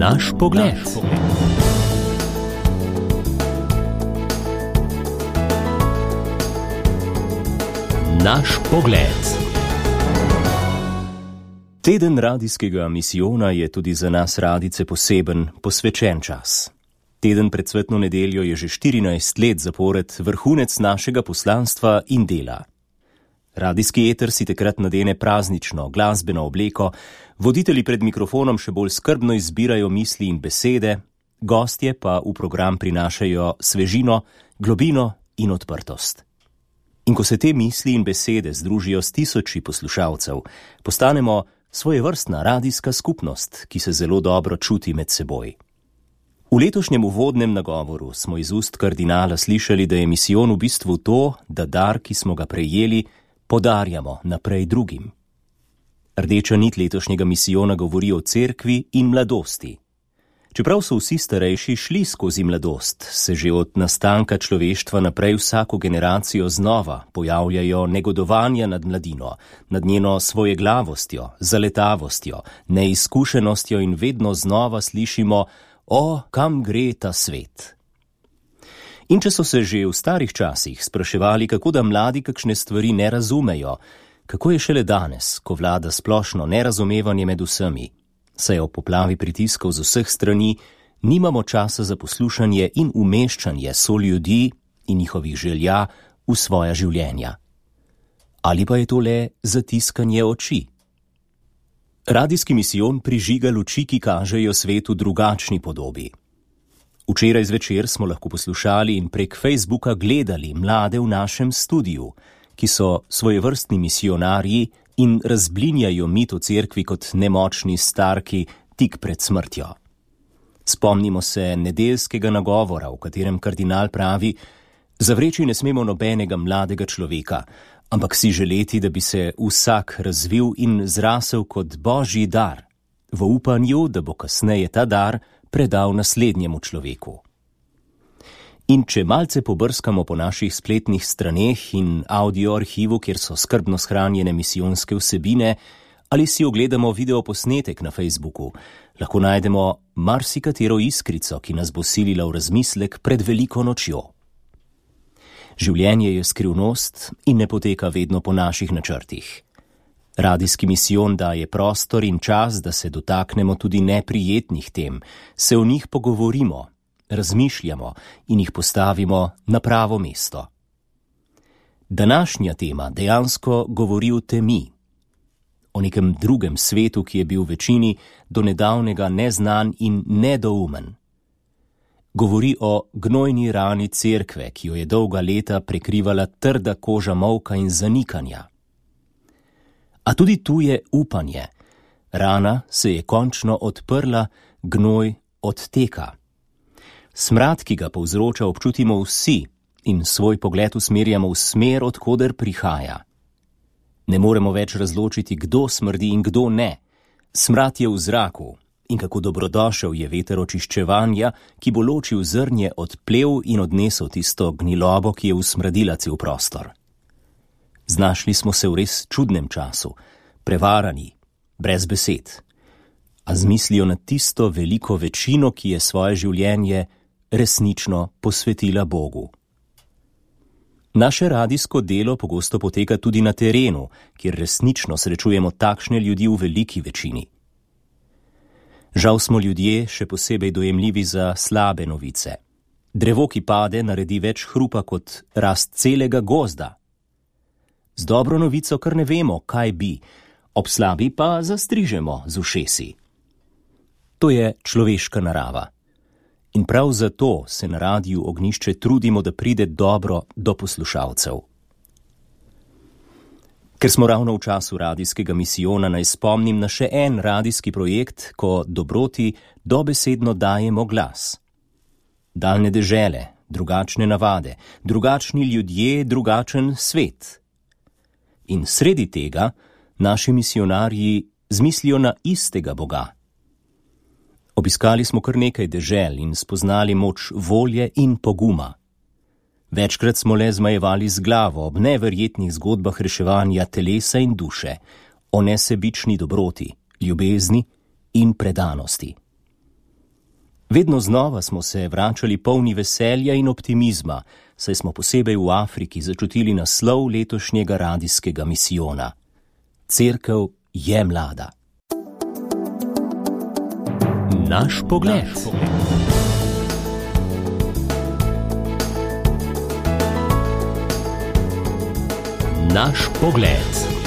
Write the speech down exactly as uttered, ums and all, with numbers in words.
Naš pogled. Naš pogled. Teden radijskega misijona je tudi za nas radijce poseben, posvečen čas. Teden pred Svetno nedeljo je že štirinajst let zapored vrhunec našega poslanstva in dela. Radijski eter si takrat nadene praznično, glasbeno obleko, voditelji pred mikrofonom še bolj skrbno izbirajo misli in besede, gostje pa v program prinašajo svežino, globino in odprtost. In ko se te misli in besede združijo s tisoči poslušalcev, postanemo svojevrstna radijska skupnost, ki se zelo dobro čuti med seboj. V letošnjem uvodnem nagovoru smo iz ust kardinala slišali, da je misijon v bistvu to, da dar, ki smo ga prejeli, podarjamo naprej drugim. Rdeča nit letošnjega misijona govori o cerkvi in mladosti. Čeprav so vsi starejši šli skozi mladost, se že od nastanka človeštva naprej vsako generacijo znova pojavljajo negodovanja nad mladino, nad njeno svojeglavostjo, zaletavostjo, neizkušenostjo in vedno znova slišimo: o, kam gre ta svet? In če so se že v starih časih spraševali, kako da mladi kakšne stvari ne razumejo, kako je šele danes, ko vlada splošno nerazumevanje med vsemi, saj ob poplavi pritiskov z vseh strani nimamo časa za poslušanje in umeščanje soljudi in njihovih želja v svoja življenja. Ali pa je to le zatiskanje oči? Radijski misijon prižiga luči, ki kažejo svetu drugačni podobi. Včeraj zvečer smo lahko poslušali in prek Facebooka gledali mlade v našem studiu, ki so svojevrstni misionarji in razblinjajo mit o cerkvi kot nemočni starki tik pred smrtjo. Spomnimo se nedeljskega nagovora, v katerem kardinal pravi: zavreči ne smemo nobenega mladega človeka, ampak si želeti, da bi se vsak razvil in zrasel kot božji dar, v upanju, da bo kasneje ta dar predal naslednjemu človeku. In če malce pobrskamo po naših spletnih straneh in audio arhivu, kjer so skrbno shranjene misijonske vsebine, ali si ogledamo videoposnetek na Facebooku, lahko najdemo marsikatero iskrico, ki nas bo silila v razmislek pred veliko nočjo. Življenje je skrivnost in ne poteka vedno po naših načrtih. Radijski misijon daje prostor in čas, da se dotaknemo tudi neprijetnih tem, se o njih pogovorimo, razmišljamo in jih postavimo na pravo mesto. Današnja tema dejansko govori o temi, o nekem drugem svetu, ki je bil večini do nedavnega neznan in nedoumen. Govori o gnojni rani cerkve, ki jo je dolga leta prekrivala trda koža molka in zanikanja. A tudi tu je upanje. Rana se je končno odprla, gnoj odteka. Smrad, ki ga povzroča, občutimo vsi in svoj pogled usmerjamo v smer, od koder prihaja. Ne moremo več razločiti, kdo smrdi in kdo ne. Smrad je v zraku in kako dobrodošel je veter očiščevanja, ki bo ločil zrnje od plev in odnesel tisto gnilobo, ki je usmrdila cel prostor. Znašli smo se v res čudnem času, prevarani, brez besed, a z mislijo na tisto veliko večino, ki je svoje življenje resnično posvetila Bogu. Naše radijsko delo pogosto poteka tudi na terenu, kjer resnično srečujemo takšne ljudi v veliki večini. Žal smo ljudje še posebej dojemljivi za slabe novice. Drevo, ki pade, naredi več hrupa kot rast celega gozda. Z dobro novico kar ne vemo, kaj bi, ob slabi pa zastrižemo z ušesi. To je človeška narava. In prav zato se na radiju Ognjišče trudimo, da pride dobro do poslušalcev. Ker smo ravno v času radijskega misijona, naj spomnim na še en radijski projekt, ko dobroti dobesedno dajemo glas. Daljne dežele, drugačne navade, drugačni ljudje, drugačen svet. In sredi tega naši misionarji zmislijo na istega Boga. Obiskali smo kar nekaj dežel in spoznali moč volje in poguma. Večkrat smo le zmajevali z glavo ob neverjetnih zgodbah reševanja telesa in duše, o nesebični dobroti, ljubezni in predanosti. Vedno znova smo se vračali polni veselja in optimizma, saj smo posebej v Afriki začutili naslov letošnjega radijskega misijona. Cerkev je mlada. Naš pogled. Naš pogled.